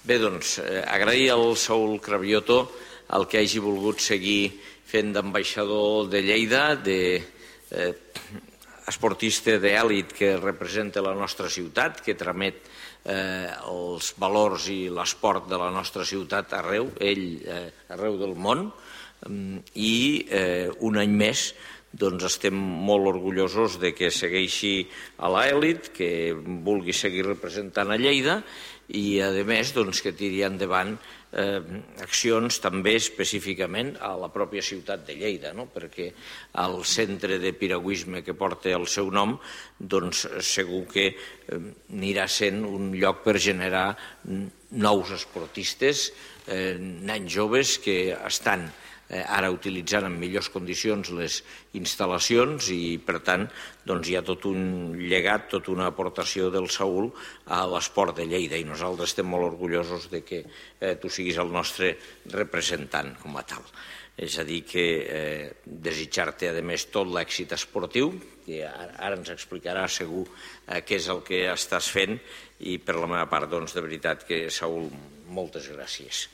Bé, doncs, agrair al Saúl Cravioto el que hagi volgut seguir fent d'ambaixador de Lleida, d'esportista d'èlit que representa la nostra ciutat, que tramet els valors i l'esport de la nostra ciutat arreu, arreu del món, i un any més estem molt orgullosos de que segueixi a l'elit, que vulgui seguir representant a Lleida i, a més, que tiri endavant accions també específicament a la pròpia ciutat de Lleida, perquè el centre de piragüisme que porta el seu nom segur que anirà sent un lloc per generar nous esportistes, nens joves que estan ara utilitzant en millors condicions les instal·lacions i, per tant, hi ha tot un llegat, tota una aportació del Saúl a l'esport de Lleida i nosaltres estem molt orgullosos de que tu siguis el nostre representant com a tal. És a dir, que desitjar-te, a més, tot l'èxit esportiu, que ara ens explicarà segur què és el que estàs fent i, per la meva part, de veritat que, Saúl, moltes gràcies.